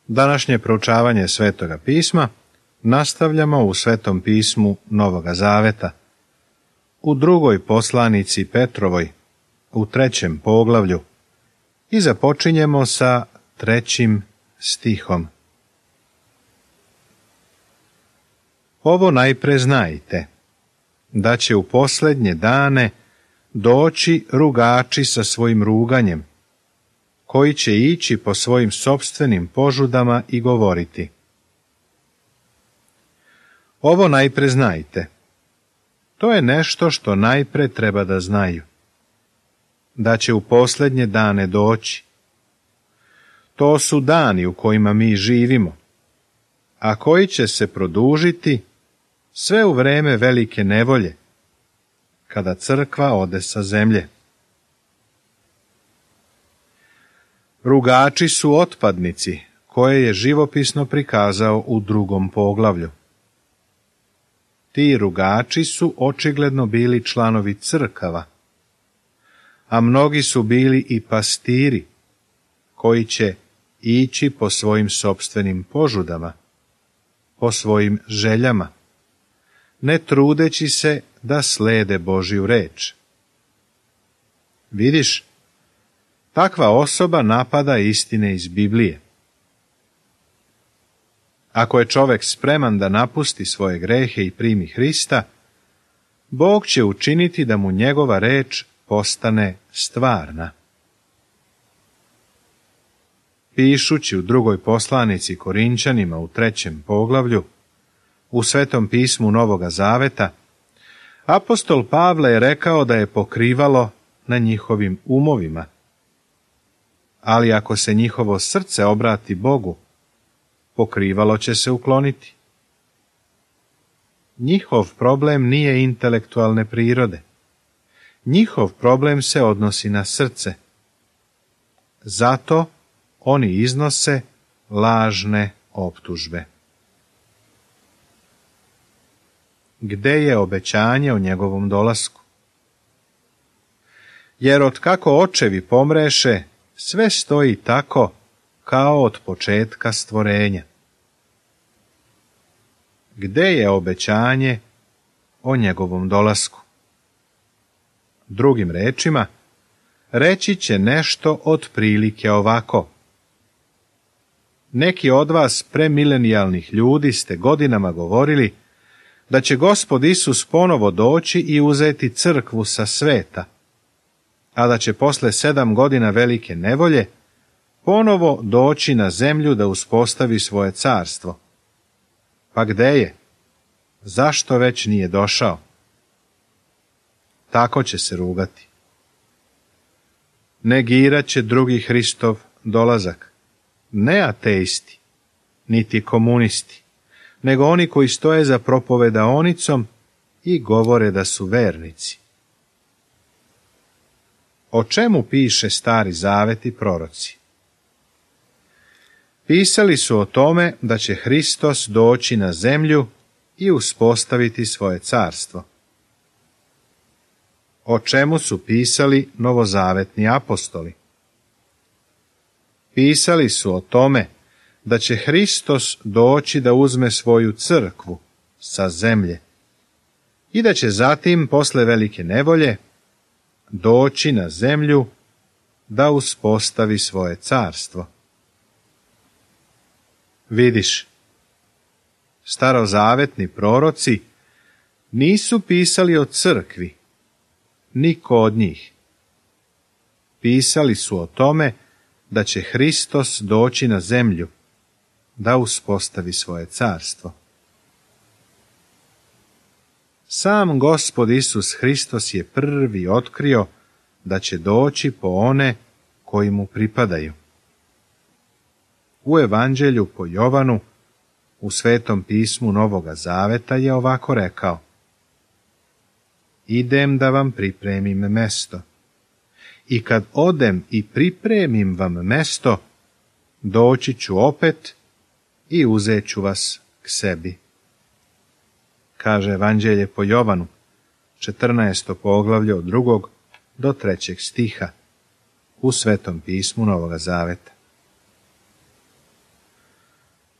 Današnje proučavanje Svetoga pisma nastavljamo u Svetom pismu Novoga Zaveta, u drugoj poslanici Petrovoj, u 3. poglavlju, i započinjemo sa 3. stihom. Ovo najpre znajte, da će u posljednje dane doći rugači sa svojim ruganjem, koji će ići po svojim sopstvenim požudama i govoriti. Ovo najpre znajte. To je nešto što najpre treba da znaju. Da će u posljednje dane doći. To su dani u kojima mi živimo, a koji će se produžiti sve u vreme velike nevolje, kada crkva ode sa zemlje. Rugači su otpadnici, koje je živopisno prikazao u 2. poglavlju. Ti rugači su očigledno bili članovi crkava, a mnogi su bili i pastiri, koji će ići po svojim sopstvenim požudama, po svojim željama, ne trudeći se da slede Božju reč. Vidiš, takva osoba napada istine iz Biblije. Ako je čovjek spreman da napusti svoje grehe i primi Hrista, Bog će učiniti da mu njegova reč postane stvarna. Pišući u 2. poslanici Korinćanima u 3. poglavlju, u Svetom pismu Novoga Zaveta, apostol Pavle je rekao da je pokrivalo na njihovim umovima. Ali ako se njihovo srce obrati Bogu, pokrivalo će se ukloniti. Njihov problem nije intelektualne prirode. Njihov problem se odnosi na srce. Zato oni iznose lažne optužbe. Gde je obećanje o njegovom dolasku? Jer otkako očevi pomreše, sve stoji tako kao od početka stvorenja. Gde je obećanje o njegovom dolasku? Drugim rečima, reći će nešto otprilike ovako. Neki od vas premilenijalnih ljudi ste godinama govorili da će Gospod Isus ponovo doći i uzeti crkvu sa sveta, a da će posle 7 godina velike nevolje ponovo doći na zemlju da uspostavi svoje carstvo. Pa gde je? Zašto već nije došao? Tako će se rugati. Negirat će drugi Hristov dolazak. Ne ateisti, niti komunisti, nego oni koji stoje za propovedaonicom i govore da su vernici. O čemu piše Stari Zavet i proroci? Pisali su o tome da će Hristos doći na zemlju i uspostaviti svoje carstvo. O čemu su pisali novozavetni apostoli? Pisali su o tome da će Hristos doći da uzme svoju crkvu sa zemlje i da će zatim, posle velike nevolje, doći na zemlju da uspostavi svoje carstvo. Vidiš, starozavetni proroci nisu pisali o crkvi, niko od njih. Pisali su o tome da će Hristos doći na zemlju da uspostavi svoje carstvo. Sam Gospod Isus Hristos je prvi otkrio da će doći po one koji mu pripadaju. U Evanđelju po Jovanu, u Svetom pismu Novoga Zaveta je ovako rekao: idem da vam pripremim mesto. I kad odem i pripremim vam mesto, doći ću opet i uzet ću vas k sebi. Kaže Evanđelje po Jovanu, 14. poglavlje od 2. do 3. stiha, u Svetom pismu Novoga Zaveta.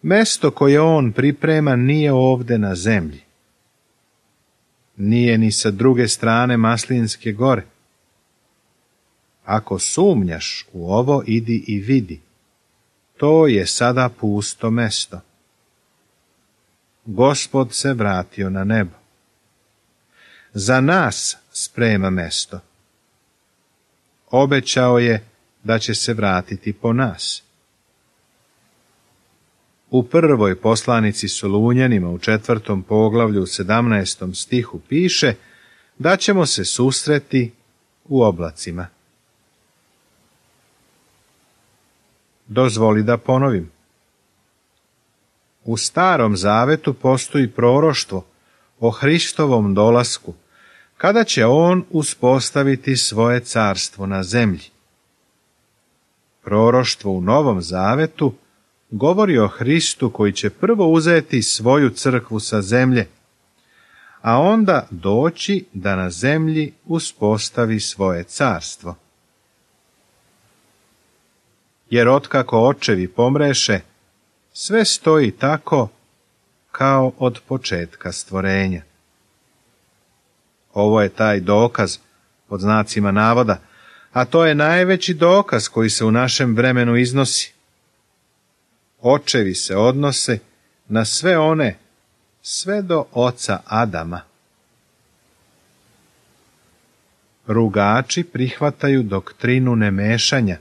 Mesto koje on priprema nije ovde na zemlji. Nije ni sa druge strane Maslinske gore. Ako sumnjaš u ovo, idi i vidi. To je sada pusto mesto. Gospod se vratio na nebo. Za nas sprema mesto. Obećao je da će se vratiti po nas. U prvoj poslanici Solunjanima u 4. poglavlju u 17. stihu piše da ćemo se susreti u oblacima. Dozvoli da ponovim. U Starom zavetu postoji proroštvo o Hristovom dolasku, kada će on uspostaviti svoje carstvo na zemlji. Proroštvo u Novom zavetu govori o Hristu koji će prvo uzeti svoju crkvu sa zemlje, a onda doći da na zemlji uspostavi svoje carstvo. Jer otkako očevi pomreše, sve stoji tako kao od početka stvorenja. Ovo je taj dokaz, pod znacima navoda, a to je najveći dokaz koji se u našem vremenu iznosi. Očevi se odnose na sve one, sve do oca Adama. Rugači prihvataju doktrinu nemešanja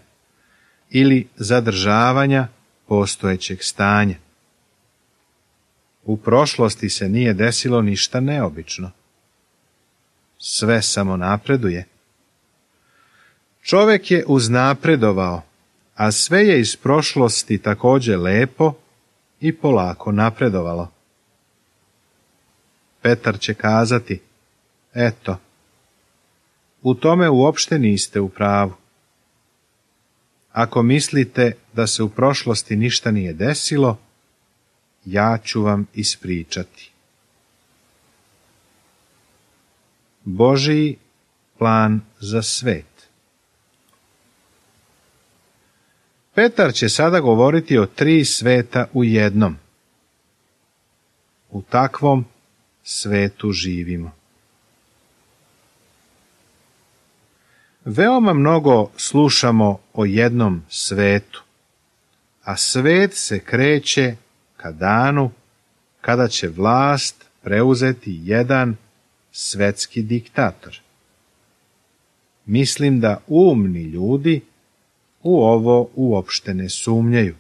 ili zadržavanja postojećeg stanja. U prošlosti se nije desilo ništa neobično. Sve samo napreduje. Čovjek je uznapredovao, a sve je iz prošlosti također lepo i polako napredovalo. Petar će kazati, eto, u tome uopšte niste u pravu. Ako mislite da se u prošlosti ništa nije desilo, ja ću vam ispričati. Božji plan za svet. Petar će sada govoriti o 3 sveta u jednom. U takvom svetu živimo. Veoma mnogo slušamo o jednom svetu, a svet se kreće ka danu kada će vlast preuzeti jedan svetski diktator. Mislim da umni ljudi u ovo uopšte ne sumnjaju.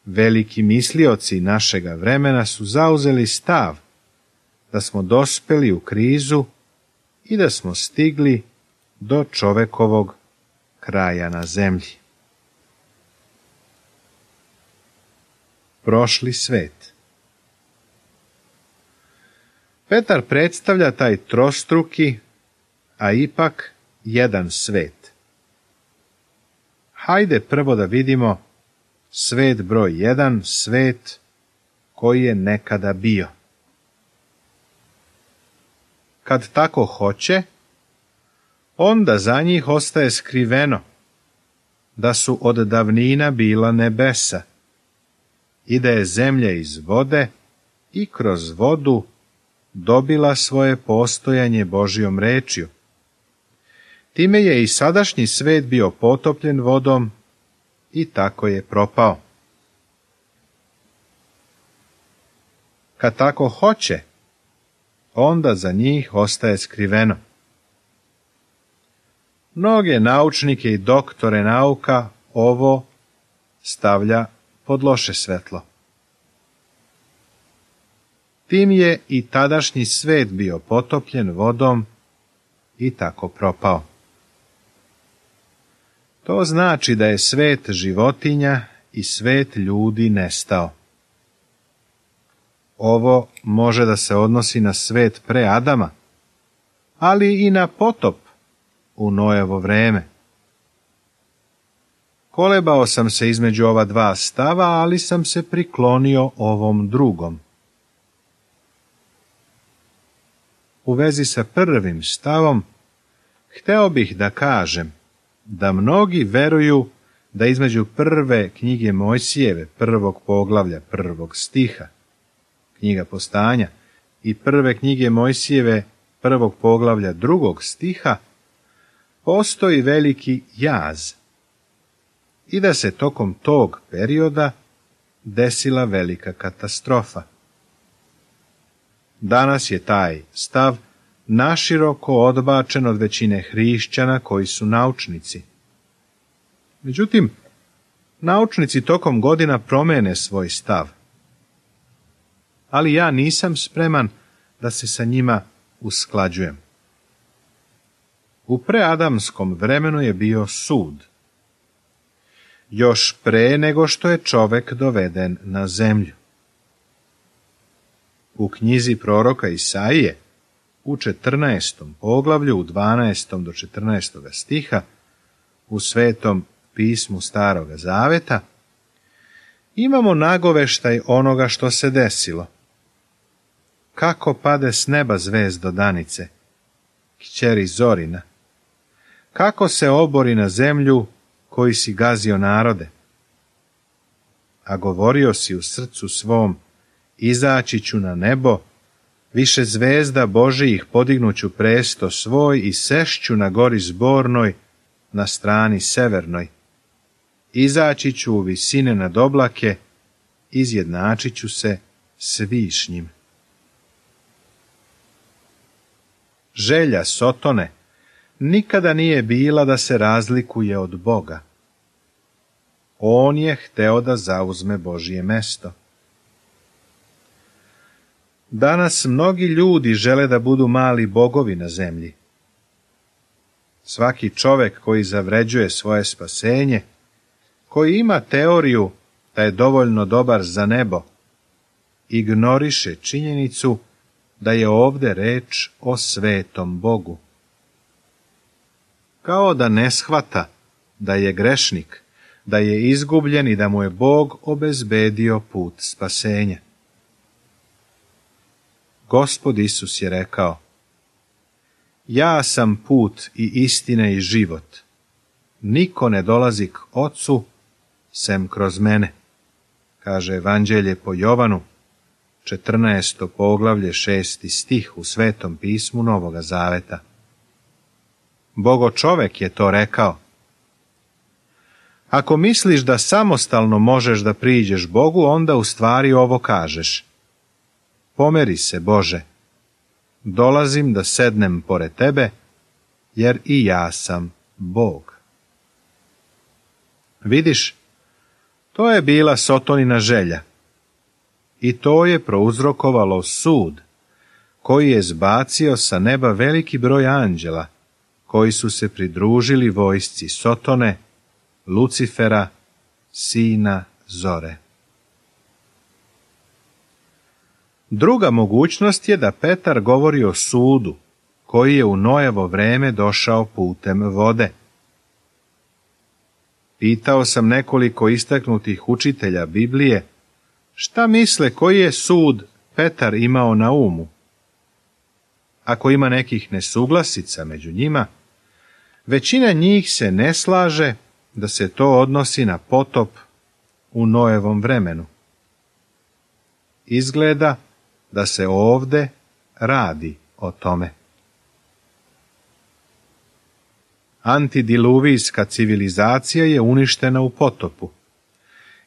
Veliki mislioci našega vremena su zauzeli stav da smo dospeli u krizu i da smo stigli do čovekovog kraja na zemlji. Prošli svet. Petar predstavlja taj trostruki, a ipak jedan svet. Hajde prvo da vidimo svet broj 1, svet koji je nekada bio. Kad tako hoće, onda za njih ostaje skriveno da su od davnina bila nebesa i da je zemlja iz vode i kroz vodu dobila svoje postojanje Božjom rečju. Time je i sadašnji svet bio potopljen vodom i tako je propao. Kad tako hoće, onda za njih ostaje skriveno. Mnoge naučnike i doktore nauka ovo stavlja pod loše svetlo. Tim je i tadašnji svet bio potopljen vodom i tako propao. To znači da je svet životinja i svet ljudi nestao. Ovo može da se odnosi na svet pre Adama, ali i na potop u Noevo vreme. Kolebao sam se između ova dva stava, ali sam se priklonio ovom drugom. U vezi sa prvim stavom, hteo bih da kažem da mnogi veruju da između prve knjige Mojsijeve, 1. poglavlja, 1. stiha, knjiga Postanja, i prve knjige Mojsijeve, 1. poglavlja, 2. stiha, postoji veliki jaz i da se tokom tog perioda desila velika katastrofa. Danas je taj stav naširoko odbačen od većine hrišćana koji su naučnici. Međutim, naučnici tokom godina promene svoj stav. Ali ja nisam spreman da se sa njima usklađujem. U preadamskom vremenu je bio sud. Još pre nego što je čovek doveden na zemlju. U knjizi proroka Isaije, u 14. poglavlju, u 12. do 14. stiha, u Svetom pismu Staroga Zaveta, imamo nagoveštaj onoga što se desilo. Kako pade s neba zvezdo danice, kćeri Zorina, kako se obori na zemlju koji si gazio narode. A govorio si u srcu svom, izaći ću na nebo, više zvezda Božijih podignuću presto svoj i sešću na gori zbornoj, na strani severnoj. Izaći ću u visine nad oblake, izjednačit ću se s višnjim. Želja Sotone nikada nije bila da se razlikuje od Boga. On je hteo da zauzme Božje mesto. Danas mnogi ljudi žele da budu mali bogovi na zemlji. Svaki čovek koji zavređuje svoje spasenje, koji ima teoriju da je dovoljno dobar za nebo, ignoriše činjenicu da je ovde reč o svetom Bogu. Kao da ne shvata da je grešnik, da je izgubljen i da mu je Bog obezbedio put spasenja. Gospod Isus je rekao: ja sam put i istina i život. Niko ne dolazi k Ocu sem kroz mene, kaže Evanđelje po Jovanu, 14. poglavlje, 6. stih u Svetom pismu Novoga Zaveta. Bogo čovek je to rekao. Ako misliš da samostalno možeš da priđeš Bogu, onda u stvari ovo kažeš: pomeri se, Bože, dolazim da sednem pored tebe, jer i ja sam Bog. Vidiš, to je bila Sotonina želja. I to je prouzrokovalo sud, koji je zbacio sa neba veliki broj anđela, koji su se pridružili vojsci Sotone, Lucifera, sina Zore. Druga mogućnost je da Petar govori o sudu, koji je u Nojevo vreme došao putem vode. Pitao sam nekoliko istaknutih učitelja Biblije, šta misle koji je sud Petar imao na umu? Ako ima nekih nesuglasica među njima, većina njih se ne slaže da se to odnosi na potop u Nojevom vremenu. Izgleda da se ovde radi o tome. Antidiluvijska civilizacija je uništena u potopu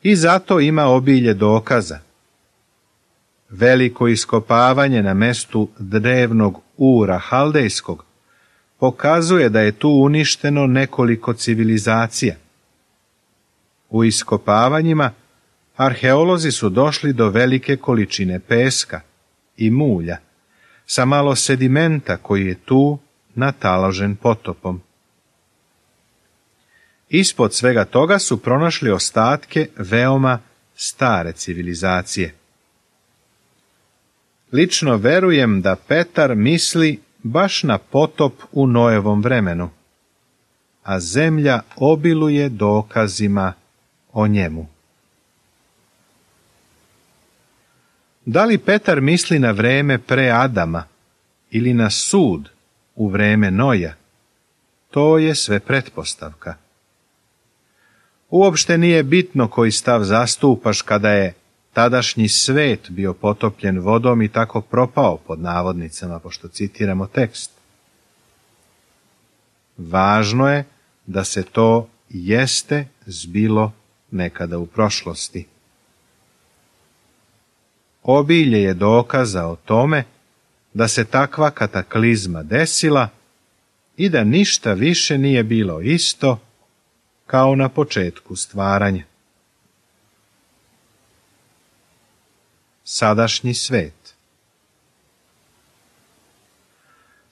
i zato ima obilje dokaza. Veliko iskopavanje na mestu drevnog Ura Haldejskog pokazuje da je tu uništeno nekoliko civilizacija. U iskopavanjima arheolozi su došli do velike količine peska i mulja, sa malo sedimenta koji je tu nataložen potopom. Ispod svega toga su pronašli ostatke veoma stare civilizacije. Lično verujem da Petar misli baš na potop u Nojevom vremenu, a zemlja obiluje dokazima o njemu. Da li Petar misli na vreme pre Adama ili na sud u vreme Noja? To je sve pretpostavka. Uopšte nije bitno koji stav zastupaš kada je tadašnji svet bio potopljen vodom i tako propao pod navodnicama, pošto citiramo tekst. Važno je da se to jeste zbilo nekada u prošlosti. Obilje je dokaza o tome da se takva kataklizma desila i da ništa više nije bilo isto kao na početku stvaranja. Sadašnji svet.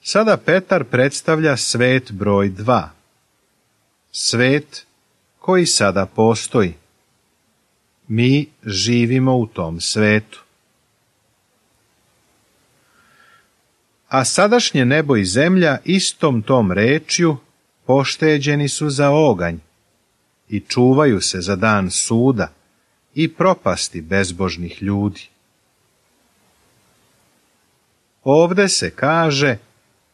Sada Petar predstavlja svet broj 2. Svet koji sada postoji. Mi živimo u tom svetu. A sadašnje nebo i zemlja istom tom rečju pošteđeni su za oganj i čuvaju se za dan suda i propasti bezbožnih ljudi. Ovde se kaže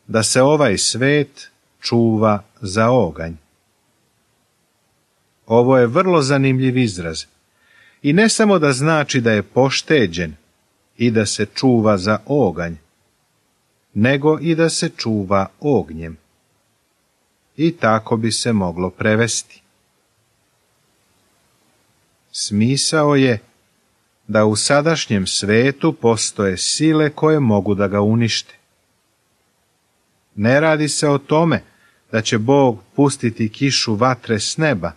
da se ovaj svet čuva za oganj. Ovo je vrlo zanimljiv izraz i ne samo da znači da je pošteđen i da se čuva za oganj, nego i da se čuva ognjem. I tako bi se moglo prevesti. Smisao je da u sadašnjem svetu postoje sile koje mogu da ga unište. Ne radi se o tome da će Bog pustiti kišu vatre s neba,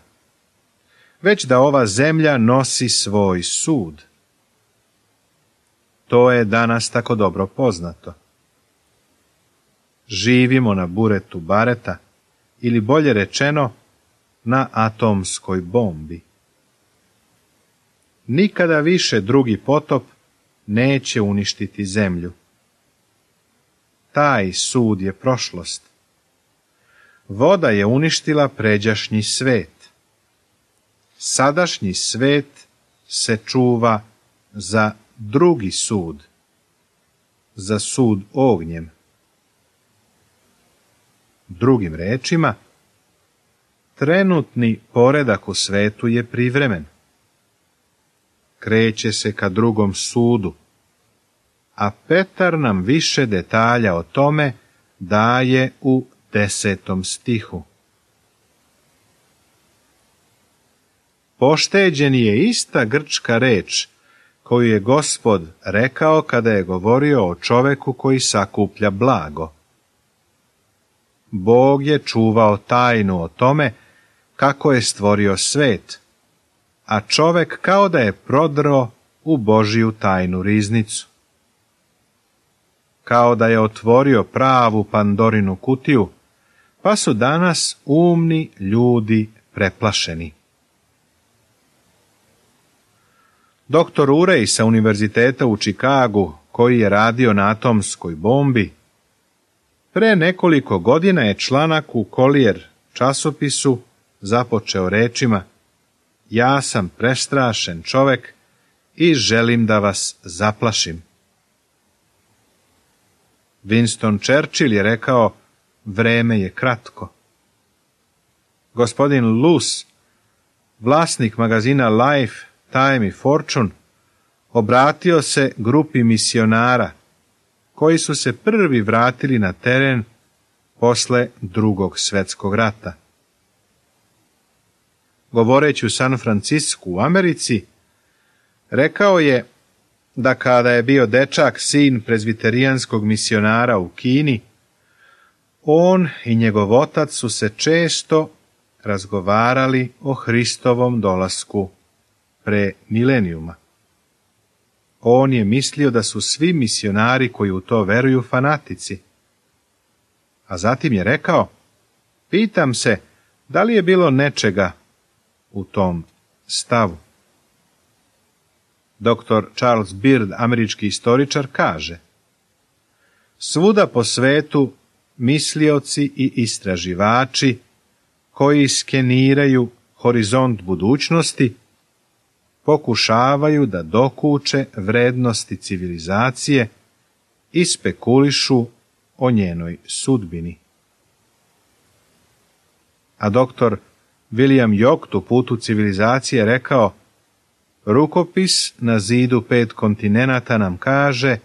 već da ova zemlja nosi svoj sud. To je danas tako dobro poznato. Živimo na buretu bareta, ili bolje rečeno, na atomskoj bombi. Nikada više drugi potop neće uništiti zemlju. Taj sud je prošlost. Voda je uništila pređašnji svet. Sadašnji svet se čuva za drugi sud, za sud ognjem. Drugim rečima, trenutni poredak u svetu je privremen. Kreće se ka drugom sudu, a Petar nam više detalja o tome daje u 10. stihu. Pošteđen je ista grčka reč koju je Gospod rekao kada je govorio o čoveku koji sakuplja blago. Bog je čuvao tajnu o tome kako je stvorio svet, a čovek kao da je prodro u Božiju tajnu riznicu. Kao da je otvorio pravu Pandorinu kutiju, pa su danas umni ljudi preplašeni. Doktor Urey sa Univerziteta u Čikagu, koji je radio na atomskoj bombi, pre nekoliko godina je članak u Collier časopisu započeo rečima: ja sam prestrašen čovek i želim da vas zaplašim. Winston Churchill je rekao: vreme je kratko. Gospodin Luce, vlasnik magazina Life, Time i Fortune, obratio se grupi misionara koji su se prvi vratili na teren posle Drugog svjetskog rata. Govoreći u San Francisku u Americi, rekao je da kada je bio dečak sin prezbiterijanskog misionara u Kini, on i njegov otac su se često razgovarali o Hristovom dolasku pre milenijuma. On je mislio da su svi misionari koji u to veruju fanatici. A zatim je rekao: pitam se da li je bilo nečega u tom stavu. Dr. Charles Beard, američki istoričar, kaže: svuda po svetu mislioci i istraživači koji skeniraju horizont budućnosti pokušavaju da dokuče vrednosti civilizacije i spekulišu o njenoj sudbini. A doktor William Yocht u Putu civilizacije rekao: rukopis na zidu 5 kontinenata nam kaže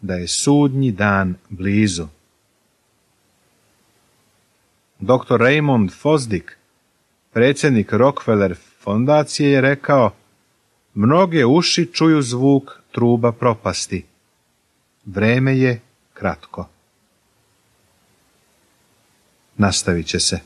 da je sudnji dan blizu. Dr. Raymond Fosdick, predsjednik Rockefeller fondacije, je rekao: mnoge uši čuju zvuk truba propasti. Vreme je kratko. Nastavit će se.